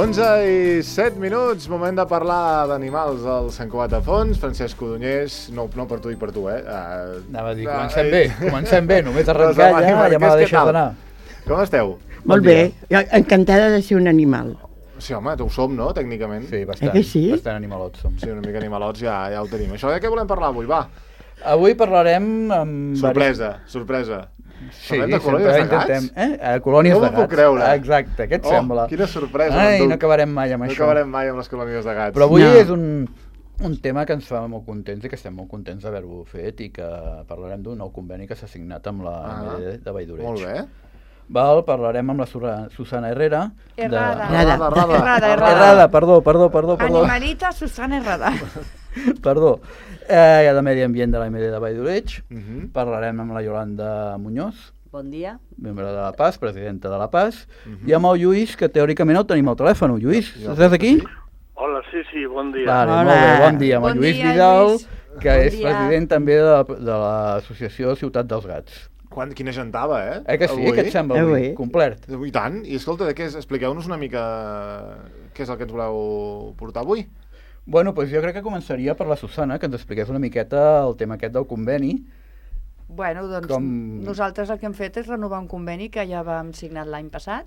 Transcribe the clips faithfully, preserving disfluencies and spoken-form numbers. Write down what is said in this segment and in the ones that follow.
onze i set minuts, moment de parlar d'animals al Sant Cugat a Fons. Francesc Codonyés, no, no per tu i per tu, eh? Uh, Anava a dir, comencem uh, bé, comencem bé, només arrencar ja, ja m'ha de deixar d'anar. Com esteu? Molt bé, encantada de ser un animal. Sí, home, ho som, no?, tècnicament. Sí, bastant, eh sí? bastant animalots som. Sí, una mica animalots ja, ja ho tenim. Això de què volem parlar avui, va? Avui parlarem amb... Sorpresa, sorpresa. Sí, Parlem de colònies de gats? Eh? Eh, colònies no de gats. No m'ho puc creure. Exacte, què et oh, sembla? Quina sorpresa. Ai, no acabarem mai amb no això. No acabarem mai amb les colònies de gats. Però avui no. és un, un tema que ens fa molt contents i que estem molt contents d'haver-ho fet i que parlarem d'un nou conveni que s'ha signat amb la ah, M D de Valldoreig. Molt bé. Val, parlarem amb la Susana Herrera. Errada. De... Errada. Errada, errada. Errada, perdó, perdó, perdó. perdó. Animalita Susana Errada. Perdó. Eh, de Medi Ambient de la M D de Valldoreig. Uh -huh. Parlarem amb la Yolanda Muñoz. Bon dia. Membre de la P A S, presidenta de la P A S. Uh -huh. I amb el Lluís, que teòricament el tenim al telèfon. Lluís, ja, estàs aquí? Sí. Hola, sí, sí, bon dia. Vale, Hola. molt bé, bon dia. Amb bon el Lluís dia, Vidal, Lluís. que bon és dia. president també de, de l'associació Ciutat dels Gats. Quan, quina gentava, eh? Eh que sí? Avui? Què et sembla avui? Avui. Complet. I tant. I escolta, de què és? Expliqueu-nos una mica què és el que ens voleu portar avui. Bueno, doncs jo crec que començaria per la Susana, que ens expliqués una miqueta el tema aquest del conveni. Bueno, doncs Com... nosaltres el que hem fet és renovar un conveni que ja vam signat l'any passat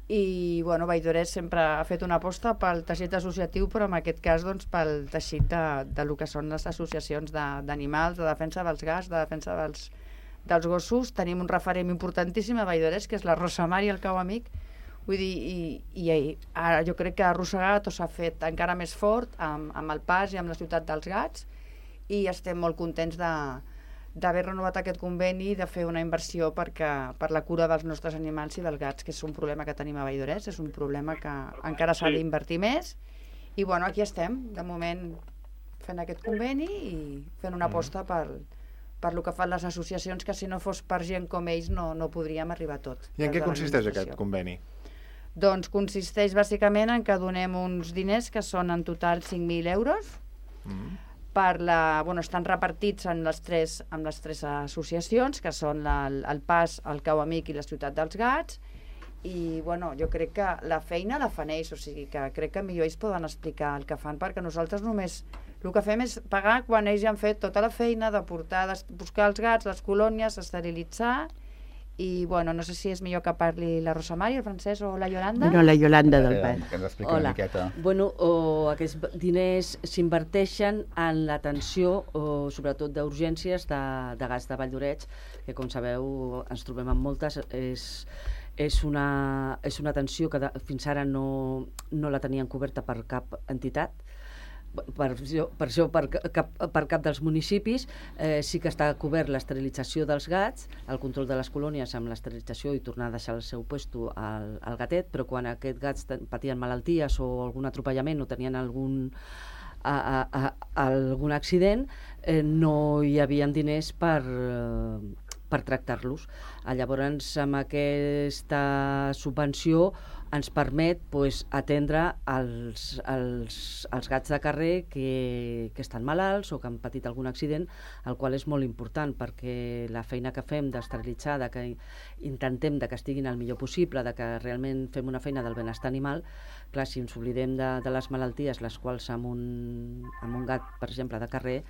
i, bueno, Valldoreig sempre ha fet una aposta pel teixit associatiu, però en aquest cas, doncs, pel teixit de, de lo que són les associacions d'animals, de, de defensa dels gats, de defensa dels, dels gossos. Tenim un referent importantíssim a Valldoreig, que és la Rosa Mar i el Cau Amic. Vull dir, i, i ara jo crec que arrossegat o s'ha fet encara més fort amb, amb el P A S i amb la Ciutat dels Gats, i estem molt contents de d'haver renovat aquest conveni i de fer una inversió perquè, per la cura dels nostres animals i dels gats, que és un problema que tenim a Valldoreig, és un problema que encara s'ha d'invertir més. I bueno, aquí estem, de moment, fent aquest conveni i fent una aposta per, per lo que fan les associacions, que si no fos per gent com ells no, no podríem arribar a tot. I en què consisteix aquest conveni? Doncs consisteix bàsicament en que donem uns diners que són en total cinc mil euros. Mm. Per la, bueno, estan repartits en les tres, en les tres associacions, que són la, el P A S, el Cau Amic i la Ciutat dels Gats, i bueno, jo crec que la feina la fan ells, o sigui que crec que millor ells poden explicar el que fan, perquè nosaltres només el que fem és pagar quan ells ja han fet tota la feina de portar, de buscar els gats, les colònies, esterilitzar. I, bueno, no sé si és millor que parli la Rosa Mar i el Francesc o la Yolanda. No, la Yolanda del P A S. Que ens expliqui una miqueta. Bueno, o aquests diners s'inverteixen en l'atenció, sobretot d'urgències de, de gats de Valldoreig, que, com sabeu, ens trobem amb moltes. És, és, una, és una atenció que de, fins ara no, no la tenien coberta per cap entitat. Per, per això per cap, per cap dels municipis. Eh, sí que està cobert l'esterilització dels gats, el control de les colònies amb l'esterilització i tornar a deixar el seu puesto al, al gatet, però quan aquests gats patien malalties o algun atropellament o tenien algun, a, a, a, algun accident, eh, no hi havia diners per, eh, per tractar-los. Llavors, amb aquesta subvenció ens permet pues, atendre els, els, els gats de carrer que, que estan malalts o que han patit algun accident, el qual és molt important perquè la feina que fem d'esterilitzar, de que intentem de que estiguin el millor possible, de que realment fem una feina del benestar animal, clar, si ens oblidem de, de les malalties, les quals amb un, amb un gat, per exemple, de carrer,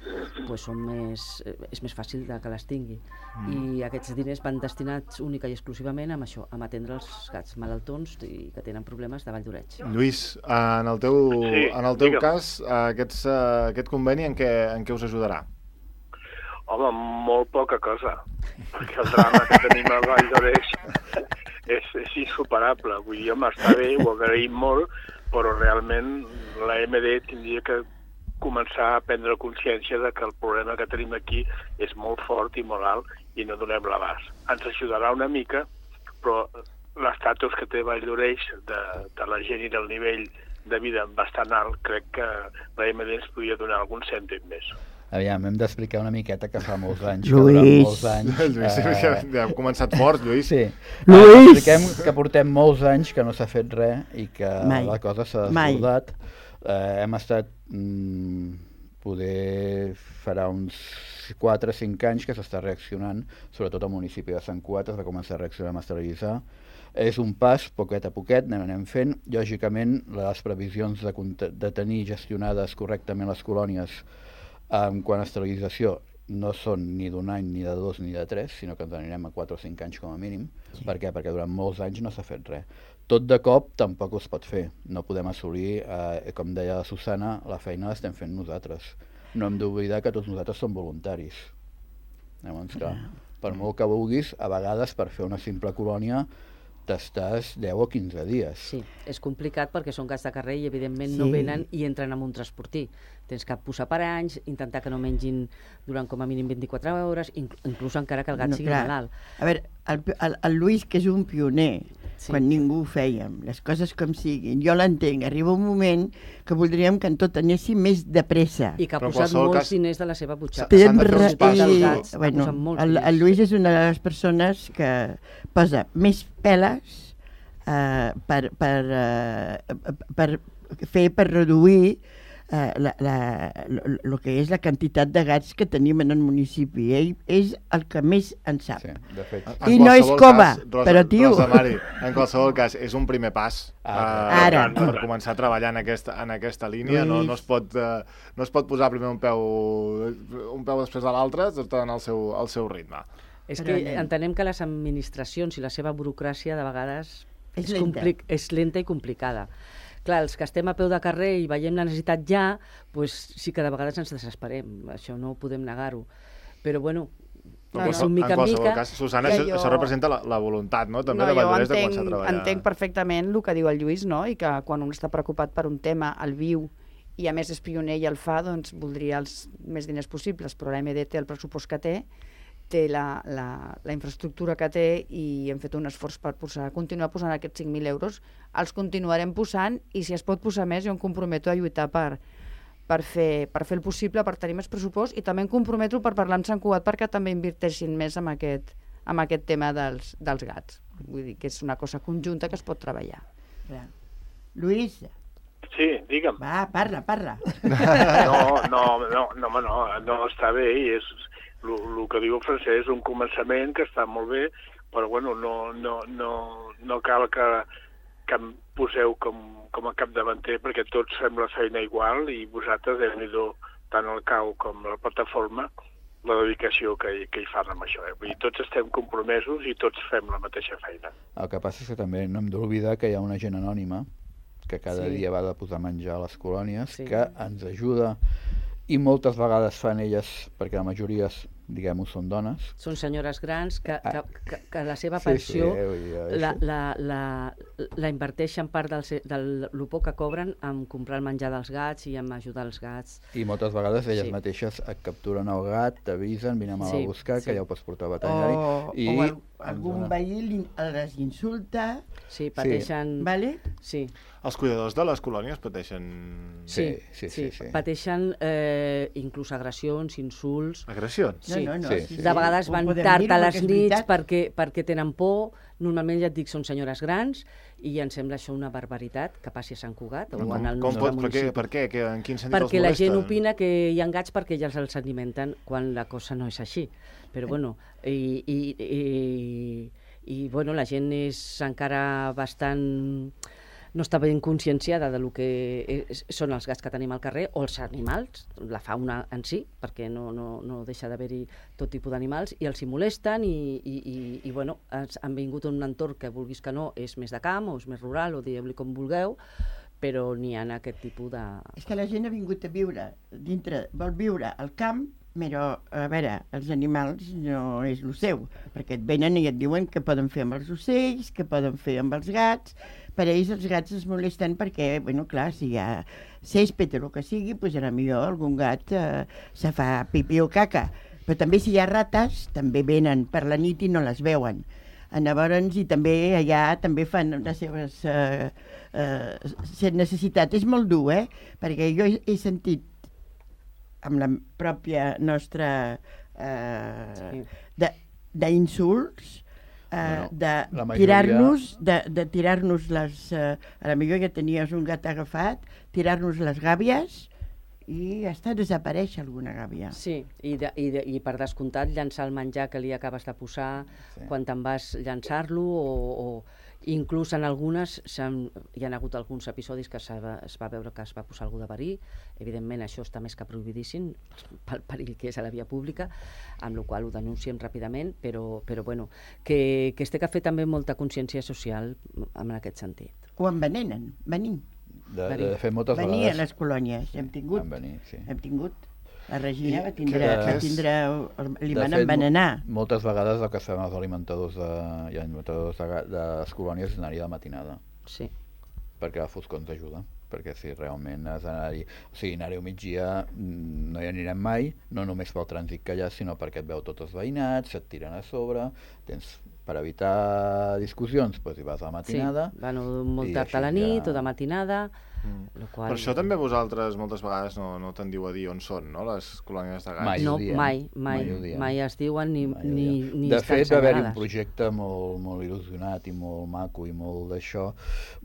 pues, són més, és més fàcil de que les tingui. Mm. I aquests diners van destinats única i exclusivament amb això, amb atendre els gats malaltons i que tenen problemes de Valldoreig. Lluís, en el teu, sí, en el teu digue'm. cas, aquests, aquest conveni en què, en què us ajudarà? Home, molt poca cosa, perquè el drama que tenim a Valldoreig és, és insuperable. Vull dir, home, està bé, ho agraïm molt, però realment la M D tindria que començar a prendre consciència de que el problema que tenim aquí és molt fort i molt alt i no donem l'abast. Ens ajudarà una mica, però l'estatus que té Valldoreig de, de la gent i del nivell de vida bastant alt, crec que la M D ens podria donar algun cèntim més. Aviam, hem d'explicar una miqueta que fa molts anys, Lluís. que durant molts anys... Lluís, eh, ja, ja hem començat fort, Lluís. Sí. Lluís! Expliquem que portem molts anys que no s'ha fet res i que Mai. la cosa s'ha desbordat. Eh, hem estat, mm, poder, farà uns quatre o cinc anys que s'està reaccionant, sobretot al municipi de Sant Cugat, es va començar a reaccionar amb esterilitzar. És un pas, poquet a poquet, anem, anem fent. Lògicament, les previsions de, de tenir gestionades correctament les colònies en quant a esterilització no són ni d'un any, ni de dos, ni de tres, sinó que ens anirem a quatre o cinc anys com a mínim. Sí. Per què? Perquè durant molts anys no s'ha fet res. Tot de cop tampoc es pot fer. No podem assolir, eh, com deia la Susana, la feina l'estem fent nosaltres. No hem d'oblidar que tots nosaltres som voluntaris. Llavors, clar, per molt que vulguis, a vegades per fer una simple colònia t'estàs deu o quinze dies. Sí, és complicat perquè són gats de carrer i evidentment Sí. no venen i entren en un transportí. Tens que posar per anys, intentar que no mengin durant com a mínim vint-i-quatre hores, incl inclús encara que el gat No, sigui clar. malalt. A veure, el, el, el Lluís, que és un pioner, Sí. quan ningú ho fèiem, les coses com siguin, jo l'entenc, arriba un moment que voldríem que en tot anéssim més de pressa. I que ha Però en posat qualsevol molts cas- diners de la seva butxaca. Tens Tens s'han de fer uns ra- passos. i- Gats, ha bueno, posat molts el, diners. el Lluís és una de les persones que posa més peles eh, per, per, eh, per fer, per reduir eh, la, la, lo, lo que és la quantitat de gats que tenim en el municipi. Ell és el que més en sap. Sí, de fet. En I no és qualsevol cova, cas, Rosa, però, tio. Rosa Mari, en qualsevol cas, és un primer pas Ara. eh, Ara. per, per començar a treballar en aquesta, en aquesta línia. No, no, es pot, eh, no es pot posar primer un peu, un peu després de l'altre, tot en el seu, el seu ritme. És Però que anem. entenem que les administracions i la seva burocràcia de vegades És és, lenta. compli- és lenta i complicada. Clar, els que estem a peu de carrer i veiem la necessitat ja, pues, sí que de vegades ens desesperem, això no podem negar-ho. Però bueno, Però és en un mica en qualsevol mica... cas, Susana, que això, jo- això representa la, la voluntat, no? També No, de jo Valldoreix de entenc, començar a treballar. entenc perfectament el que diu el Lluís, no? I que quan un està preocupat per un tema, el viu, i a més és pioner i el fa, doncs voldria els més diners possibles, però l'A M D té el pressupost que té, té la, la, la infraestructura que té i hem fet un esforç per posar, continuar posant aquests cinc mil euros. Els continuarem posant i si es pot posar més jo em comprometo a lluitar per, per, fer, per fer el possible, per tenir més pressupost i també em comprometo per parlar amb Sant Cugat perquè també inverteixin més en aquest, en aquest tema dels, dels gats. Vull dir que és una cosa conjunta que es pot treballar. Clar. Lluís, Sí, digue'm. va, parla, parla. No, no, no, no, home, no, no està bé i és el que diu el Francesc és un començament que està molt bé, però bueno, no, no, no, no cal que, que em poseu com, com a capdavanter perquè tots fem la feina igual i vosaltres, déu-n'hi-do, tant el C A U com la plataforma, la dedicació que, que hi fan amb això. Eh? Vull dir, tots estem compromesos i tots fem la mateixa feina. El que passa és que també no hem d'oblidar que hi ha una gent anònima que cada Sí. dia va de posar menjar a les colònies, Sí. que ens ajuda i moltes vegades fan elles, perquè la majoria, diguem-ho, són dones. Són senyores grans que, que, que, que la seva Sí, pensió sí, vull dir, la, això. la, la, la inverteixen part del, se- del lo poc que cobren en comprar el menjar dels gats i en ajudar els gats. I moltes vegades elles Sí. mateixes et capturen el gat, t'avisen, vine a Sí, buscar, sí. que ja ho pots portar al O, veterinari. o i al, ens algun dona- veí li- les insulta, Sí, pateixen... vale? Sí, Els cuidadors de les colònies pateixen Sí, sí, sí, sí, sí. pateixen eh, inclús agressions, insults... agressions. Sí, no, no, sí, sí, sí. De vegades Ho van podem tard dir, a perquè les és nits veritat. perquè, perquè tenen por. Normalment, ja et dic, són senyores grans i ens sembla això una barbaritat que passi a Sant Cugat o Com, en el com nostre pot, per, què, municipi. per què? Que, en quin sentit Perquè els la molesten? gent opina que hi ha gats perquè ja els alimenten quan la cosa no és així. Però bueno, i, i, i, i bueno, la gent és encara bastant... no està ben conscienciada de lo que és, són els gats que tenim al carrer o els animals, la fauna en si, perquè no, no, no deixa d'haver-hi tot tipus d'animals, i els hi molesten i, i, i, i bueno, ens han vingut en un entorn que vulguis que no, és més de camp o és més rural o digueu-li com vulgueu, però n'hi ha aquest tipus de... És que la gent ha vingut a viure dintre, vol viure al camp, però, a veure, els animals no és el seu, perquè et venen i et diuen què poden fer amb els ocells, què poden fer amb els gats. Per ells els gats es molesten perquè, bueno, clar, si hi ha césped o el que sigui, doncs a millor algun gat eh, se fa pipí o caca. Però també si hi ha rates, també venen per la nit i no les veuen. Llavors, i també allà també fan les seves eh, eh, necessitats. És molt dur, eh? Perquè jo he, he sentit amb la pròpia nostra eh, Sí. de- d'insults, eh, Bueno, de la majoria- tirar-nos de, de tirar-nos les eh, a la millor ja tenies un gat agafat, tirar-nos les gàbies i està a desaparèixer alguna gàbia. Sí, i, de, i, de, i per descomptat llançar el menjar que li acabes de posar Sí. quan te'n vas llançar-lo o, o... Inclús en algunes hi ha hagut alguns episodis que va, es va veure que es va posar algú de verí. Evidentment això està més que prohibidíssim pel perill que és a la via pública, amb la qual ho denunciem ràpidament, però, però bueno, que, que es té que fer també molta consciència social en aquest sentit. O envenenen, venir. De, de fet, moltes venir vegades... a les colònies, hem tingut. Venir, sí. Hem tingut. La Regina va tindre, que, va tindre, li van envenenar. Moltes vegades el que fem els alimentadors de, i alimentadors de, de les colònies és anar-hi de matinada. Sí. Perquè la foscor ens ajuda. Perquè si realment has d'anar-hi... O sigui, anar-hi al migdia no hi anirem mai, no només pel trànsit que hi ha, sinó perquè et veu tots els veïnats, se't tiren a sobre, tens... Per evitar discussions, doncs hi vas a la matinada. Sí, van molt tard a la nit ja... o de matinada. Mm. Qual... Per això també vosaltres moltes vegades no, no tendiu a dir on són, no?, les colònies de gats. Mai no, diem, mai, mai, mai, mai es diuen ni, ni, ni de estan fet, va haver-hi un senyalades. projecte molt, molt il·lusionat i molt maco i molt d'això,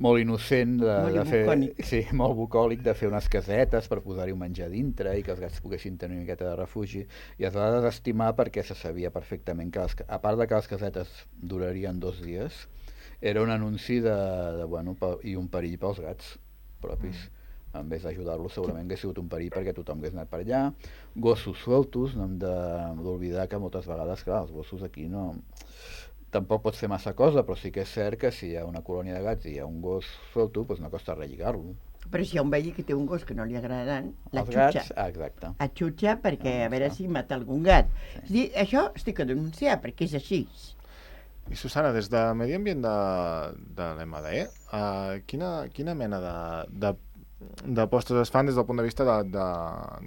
molt innocent, de, molt de fer, bucòlic. sí, molt bucòlic, de fer unes casetes per posar-hi un menjar dintre i que els gats poguessin tenir una miqueta de refugi, i es va desestimar perquè se sabia perfectament que, les, a part de que les casetes durarien dos dies, era un anunci de, de bueno, i un perill pels gats propis. Mm. En vez d'ajudar-los, segurament hauria sigut un perill perquè tothom hagués anat per allà. Gossos sueltos, no hem d'oblidar que moltes vegades, clar, els gossos aquí no... Tampoc pots fer massa cosa, però sí que és cert que si hi ha una colònia de gats i hi ha un gos suelto, doncs no costa res lligar-lo. Però si hi ha un veí que té un gos que no li agradaran, la els xutxa. Gats, ah, exacte. A xutxa perquè a veure si mata algun gat. Sí. És dir, això estic a denunciar perquè és així. I Susana, des de Medi Ambient de, de l'M D, uh, quina, quina mena de, de d'apostes es fan des del punt de vista de, de,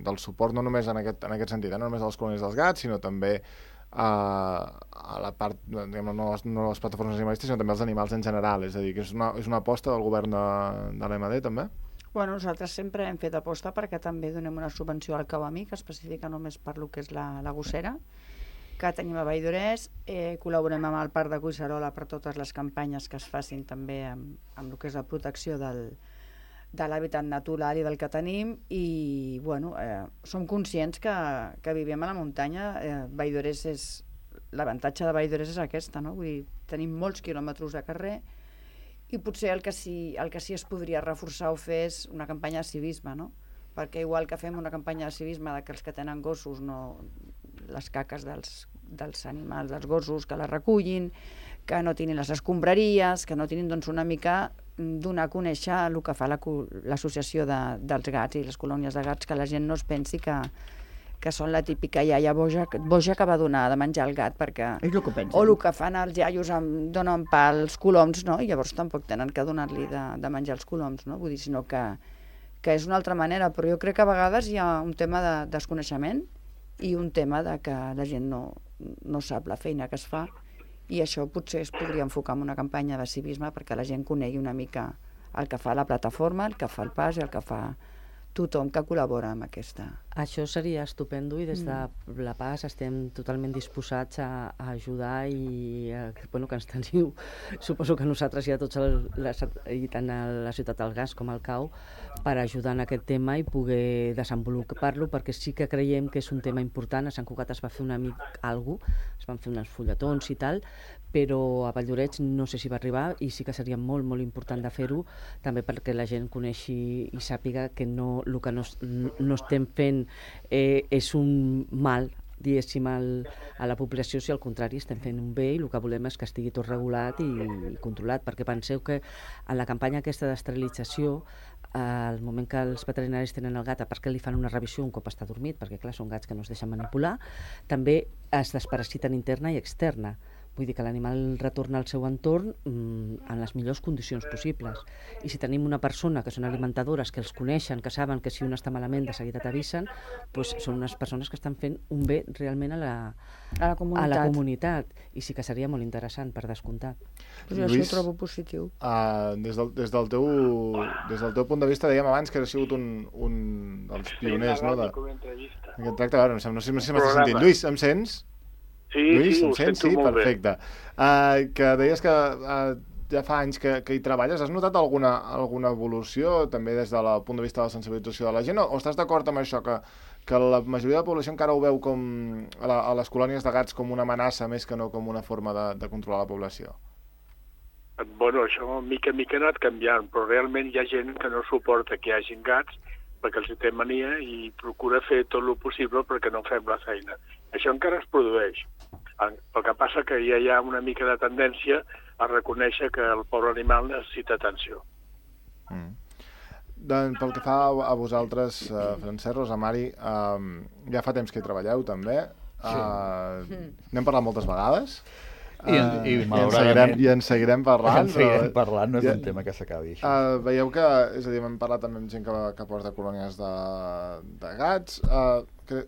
del suport, no només en aquest, en aquest sentit, eh? No només a les colònies dels gats, sinó també a, a la part, diguem, no, les, no les plataformes animalistes, sinó també als animals en general, és a dir, que és una, és una aposta del govern de, de l'M D també? Bueno, nosaltres sempre hem fet aposta perquè també donem una subvenció al Cauamí, que especifica només per lo que és la, la gossera, que tenim a Vall d'Orès, eh, col·laborem amb el Parc de Collserola per totes les campanyes que es facin també amb, amb el que és la protecció del de l'hàbitat natural i del que tenim, i bueno, eh, som conscients que, que vivim a la muntanya. eh, Vall d'Orès és l'avantatge de Vall d'Orès és aquesta, no? Vull dir, tenim molts quilòmetres de carrer i potser el que sí, el que sí es podria reforçar o fer és una campanya de civisme, no? Perquè igual que fem una campanya de civisme de que els que tenen gossos, no, les caques dels, dels animals, dels gossos, que les recullin, que no tinguin les escombraries, que no tinguin, doncs, una mica donar a conèixer el que fa l'associació de, dels gats i les colònies de gats, que la gent no es pensi que, que són la típica iaia boja, boja que va donar de menjar al gat, perquè... És el que pensen. O el que fan els iaios, amb, donen pa als coloms, no? I llavors tampoc tenen que donar-li de, de menjar als coloms, no? Vull dir, sinó que, que és una altra manera, però jo crec que a vegades hi ha un tema de desconeixement i un tema de que la gent no, no sap la feina que es fa, i això potser es podria enfocar en una campanya de civisme perquè la gent conegui una mica el que fa la plataforma, el que fa el pas i el que fa tothom que col·labora amb aquesta. Això seria estupendo i des de la P A S estem totalment disposats a, a ajudar i a, bueno, que ens teniu, suposo que nosaltres i a tots el, les, i tant a la Ciutat del Gas com al Cau, per ajudar en aquest tema i poder desenvolupar-lo, perquè sí que creiem que és un tema important. A Sant Cugat es va fer una mica alguna cosa, es van fer uns fulletons i tal, però a Vall d'Oreix no sé si va arribar, i sí que seria molt, molt important de fer-ho, també perquè la gent coneixi i sàpiga que no, el que no, no estem fent eh, és un mal, diguéssim, al, a la població, si al contrari estem fent un bé, i el que volem és que estigui tot regulat i, i controlat, perquè penseu que en la campanya aquesta d'esterilització, al moment que els veterinaris tenen el gat, a part que li fan una revisió un cop està dormit, perquè clar, són gats que no es deixen manipular, també es desparasiten interna i externa. Vull dir que l'animal retorna al seu entorn mmm, en les millors condicions possibles. I si tenim una persona que són alimentadores, que els coneixen, que saben que si un està malament de seguida t'avisen, doncs són unes persones que estan fent un bé realment a la, a la comunitat. A la comunitat. I sí que seria molt interessant, per descomptat. Pues jo Lluís, això ho trobo positiu. Uh, des, del, des, del teu, des del teu punt de vista, dèiem abans que has sigut un, un dels pioners, no? De... Aquest tracte, no sé, no sé si m'estàs sentint. Lluís, em sents? Sí, Lluís, sí, ho sents? sento Sí, molt perfecte. Uh, que deies que uh, ja fa anys que, que hi treballes. Has notat alguna, alguna evolució, també des del punt de vista de la sensibilització de la gent, o, o estàs d'acord amb això, que, que la majoria de la població encara ho veu com a, la, a les colònies de gats com una amenaça més que no com una forma de, de controlar la població? bueno, això mica en mica ha anat canviant, però realment hi ha gent que no suporta que hi hagin gats perquè els té mania i procura fer tot el possible perquè no fem la feina. Això encara es produeix. El que passa que ja hi ha una mica de tendència a reconèixer que el pobre animal necessita atenció. Mm. Doncs pel que fa a vosaltres, uh, Francesc, Rosa Mari, uh, ja fa temps que hi treballeu també. Uh, sí. N'hem parlat moltes vegades. I, en, uh, i, i, en seguirem, I en seguirem parlant. En seguirem però, parlant, no és ja, un tema que s'acabi. Uh, veieu que, és a dir, hem parlat també amb gent que, que porta colònies de, de gats. Uh, que,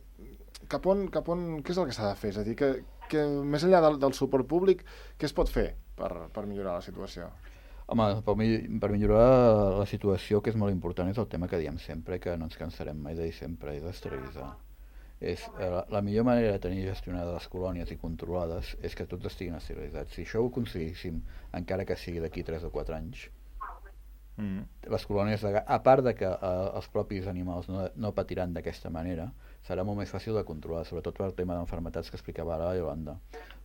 cap on, cap on, què és el que s'ha de fer? És a dir, que, que més enllà del, del suport públic, què es pot fer per, per millorar la situació? Home, per, per millorar la situació, que és molt important, és el tema que diem sempre, que no ens cansarem mai de dir sempre, és esterilitzar. És, eh, la millor manera de tenir gestionades les colònies i controlades és que tots estiguin esterilitzats. Si això ho aconseguíssim, encara que sigui d'aquí tres o quatre anys, mm. les colònies de gat, a part de que eh, els propis animals no, no patiran d'aquesta manera, serà molt més fàcil de controlar, sobretot per el tema d'enfermetats que explicava ara la Yolanda.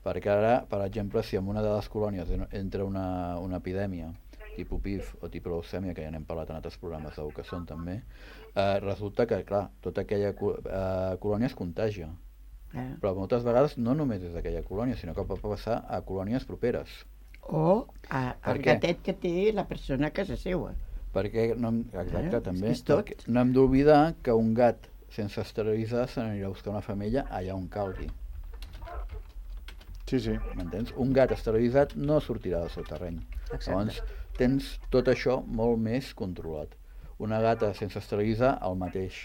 Perquè ara, per exemple, si en una de les colònies entra una, una epidèmia tipus P I F o tipus leucèmia, que ja n'hem parlat en altres programes de que són també, eh, resulta que, clar, tota aquella eh, colònia es contagia. Eh. Però moltes vegades no només és d'aquella colònia, sinó que pot passar a colònies properes. O a, al gatet que té la persona a casa seva. Perquè, no, exacte, eh, també, perquè no hem d'oblidar que un gat sense esterilitzar se n'anirà a buscar una femella allà on calgui. Sí, sí. M'entens? Un gat esterilitzat no sortirà del seu terreny. Exacte. Llavors, tens tot això molt més controlat. Una gata sense esterilitzar, el mateix.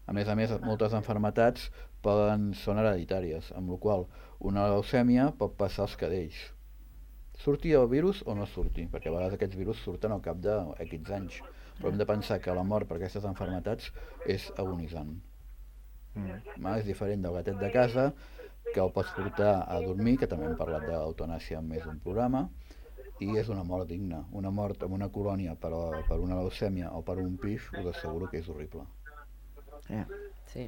A més a més, moltes enfermetats poden, són hereditàries, amb la qual una leucèmia pot passar als cadells. Surti el virus o no surti, perquè a vegades aquests virus surten al cap d'aquests anys. Però hem de pensar que la mort per aquestes enfermetats és agonitzant. Mm. És diferent del gatet de casa, que el pots portar a dormir, que també hem parlat d'eutanàsia en més d'un programa, i és una mort digna. Una mort en una colònia per, a, per una leucèmia o per un P I F, us asseguro que és horrible. Yeah. Sí.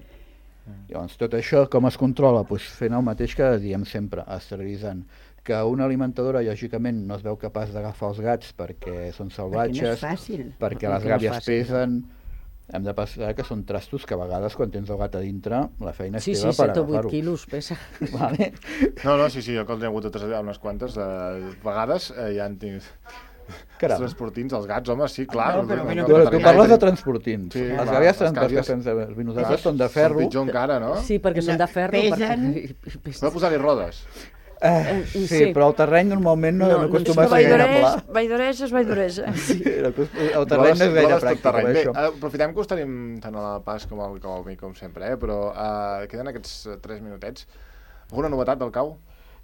Llavors, tot això com es controla? Pues fent el mateix que diem sempre, esterilitzant. Que una alimentadora, lògicament, no es veu capaç d'agafar els gats perquè són salvatges, perquè, no és fàcil. perquè les gàbies pesen. Hem de pensar que són trastos que a vegades quan tens el gat a dintre la feina és sí, teva sí, per agafar-ho. Sí, sí, set o vuit quilos pesa. Vale. No, no, sí, sí, jo que els he hagut de traslladar unes quantes eh, vegades eh, ja han tingut... Els transportins, els gats, home, sí, clar. No, però, no, no, tu parles de transportins. Sí, les gàbies transportins nosaltres són de ferro. Són pitjor encara, no? Sí, perquè són de ferro. Pesen. Perquè... S'ha de posar-hi rodes. Eh, sí, sí, però el terreny normalment no, no, no acostuma no, a ser gaire pla. Valldoreja és Valldoreja. Sí. El terreny no és gaire pràctic. Bé, aprofitem que us tenim tant a la pas com al cau, com sempre, eh? Però uh, queden aquests tres minutets. Alguna novetat del cau?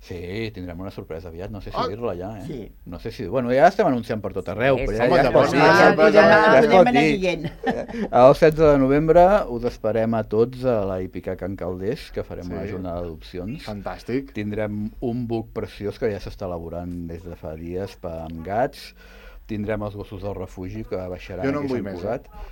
Sí, tindrem una sorpresa aviat, no sé si oh, dir-la ja, eh? Sí. No sé si... Bueno, ja estem anunciant per tot arreu, sí, però ja, home, ja, ja es pot dir. Ja, ja, ja, ja, ja, dir. El setze de novembre us esperem a tots a la Hípica Can Calders, que farem sí. una jornada d'adopcions. Fantàstic. Tindrem un book preciós que ja s'està elaborant des de fa dies per amb gats. Tindrem els gossos del refugi que baixaran. Jo no en vull més, eh?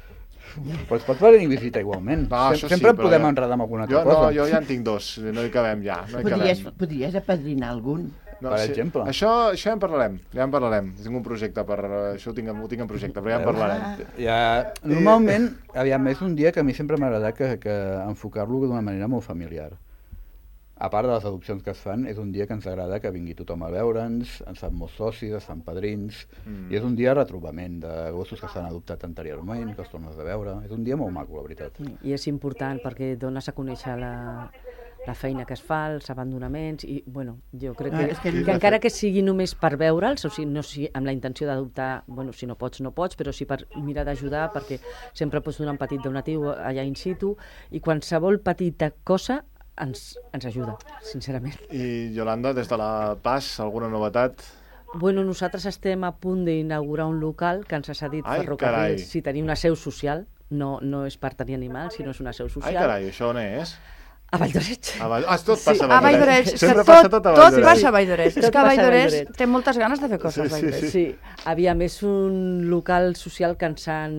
Però es pot venir a visita igualment. No, Sem sempre sí, podem jo... enredar amb alguna altra jo, cosa. No, jo ja en tinc dos, no hi cabem ja. No hi podries, cabem. podries apadrinar algun. No, per sí. exemple. Això, això ja en parlarem, ja en parlarem. Tinc un projecte per... Això ho tinc, ho tinc en projecte, però ja en parlarem. Ja, normalment, aviam, és un dia que a mi sempre m'ha agradat que, que enfocar-lo d'una manera molt familiar. A part de les adopcions que es fan, és un dia que ens agrada que vingui tothom a veure'ns, ens fan molts socis, es fan padrins, mm. i és un dia de retrobament de gossos que s'han adoptat anteriorment, que els tornes a veure. És un dia molt maco, la veritat. I és important perquè dones a conèixer la, la feina que es fa, els abandonaments, i bueno, jo crec que, ah, que, que encara que sigui només per veure'ls, o sigui, no si, amb la intenció d'adoptar, bueno, si no pots, no pots, però sí per mirar d'ajudar, perquè sempre pots donar un petit donatiu allà in situ, i qualsevol petita cosa ens, ens ajuda, sincerament. I Yolanda, des de la Pas, alguna novetat? Bueno, nosaltres estem a punt d'inaugurar un local que ens ha cedit Ai, Ferrocarrils, carai. si tenim una seu social, no, no és per tenir animals, sinó és una seu social. Ai, carai, això on és? A Valldoreix. A Vall... Ah, tot passa A Valldoreix, és que Sempre tot, passa tot a tot Valldoreix. passa a Valldoreix. És Tot que a passa a Valldoreix Valldoreix. té moltes ganes de fer coses a Sí, sí, Valldoreix. Sí, aviam, és un local social que ens, han,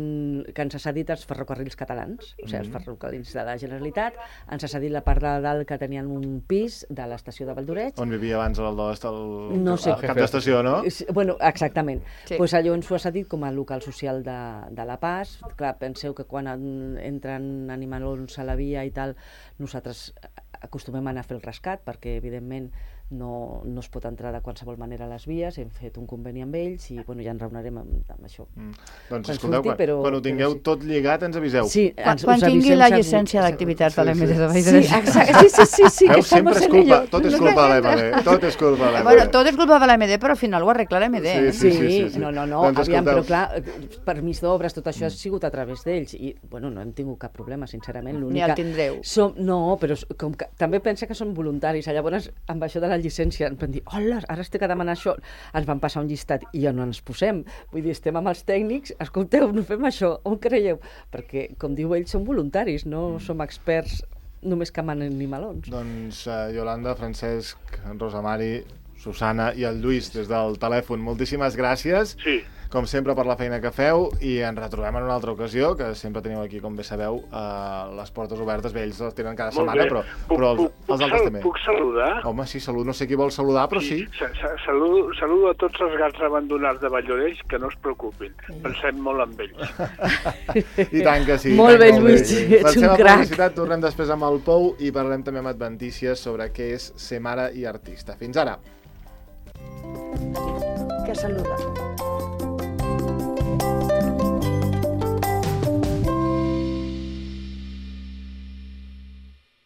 que ens ha cedit els ferrocarrils catalans, o sigui, els ferrocarrils de la Generalitat, ens ha cedit la part de dalt que tenien un pis de l'estació de Valldoreix. On vivia abans l'Aldost, el, No sé. el cap d'estació, no? Sí, bueno, exactament. Sí. Pues allò ens ho ha cedit com a local social de, de La Paz. Clar, penseu que quan en, entren animalons a la via i tal, nosaltres acostumem a anar a fer el rescat, perquè evidentment no, no es pot entrar de qualsevol manera a les vies, hem fet un conveni amb ells i bueno, ja en raonarem amb, amb això. Mm. Doncs Quan escolteu, surti, quan, però- quan ho tingueu però sí. tot lligat ens aviseu. Sí, Quan, ens, quan us tingui avisem la segur- llicència segur. d'activitats de l'M D de Sí, Valldoreix. exacte, sí, sí, sí, sí, Veus, que sempre estamos és en culpa, ello. tot és culpa de l'M D, tot és culpa de l'M D. Bueno, tot és culpa de l'M D, però al final ho arregla l'M D. Sí, eh? Sí, sí, sí, sí. no, no, no, Doncs aviam, però escolteu. clar, permís d'obres, tot això ha sigut a través d'ells i, bueno, no hem tingut cap problema, sincerament. Ni el tindreu. Som, no, però s- com que també pensa que són voluntaris, llavors amb això de la llicència ens van dir, hola, ara estic a demanar això, ens van passar un llistat i ja no ens posem, vull dir, estem amb els tècnics, escolteu, no fem això, on creieu? Perquè, com diu ell, són voluntaris, no som experts només que manen animalons. Doncs uh, Yolanda, Francesc, Rosa Mari, Susana i el Lluís des del telèfon, moltíssimes gràcies. Sí. Com sempre, per la feina que feu, i ens retrobem en una altra ocasió, que sempre teniu aquí, com bé sabeu, uh, les portes obertes, bé, ells les tenen cada Molt setmana, bé. però, Puc- però els, puc- els puc altres sal- també. Puc saludar? Home, sí, salut, no sé qui vol saludar, però sí. Sa- sa- Saludo, saludo a tots els gats abandonats de Valldoreix, que no es preocupin. Pensem molt en ells. I tant que sí. Molt i tant bé, que Lluís, sí. ets Marxem un a crac. publicitat, tornem després amb el Pou i parlarem també amb adventícies sobre què és ser mare i artista. Fins ara. Que saluda.